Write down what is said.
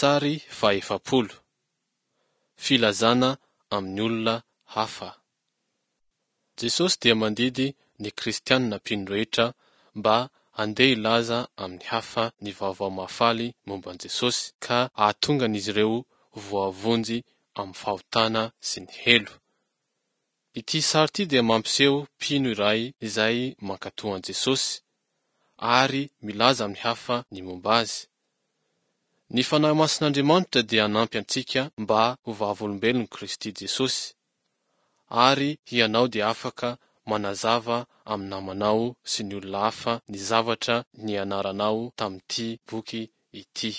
Sary fahefapolo. Filazana amin'ny olona hafa. Jesosy dia mandidy ny kristianina mpino rehetra mba handeha hilaza amin'ny hafa ny vaovao mahafaly momba an'i Jesosy ka hahatonga an'izy ireo ho voavonjy amin'ny fahotana sy ny helo. Ity sary ity dia mampiseho mpino iray izay mankatò an'i Jesosy ary milaza amin'ny hafa ny momba Azy. Ny Fanahy Masin'Andriamanitra dia hanampy antsika mba ho vavolombelon'i Kristy Jesosy, ary hianao dia afaka manazava amin'ny namanao sy ny olona hafa ny zavatra nianaranao tamin'ity boky ity.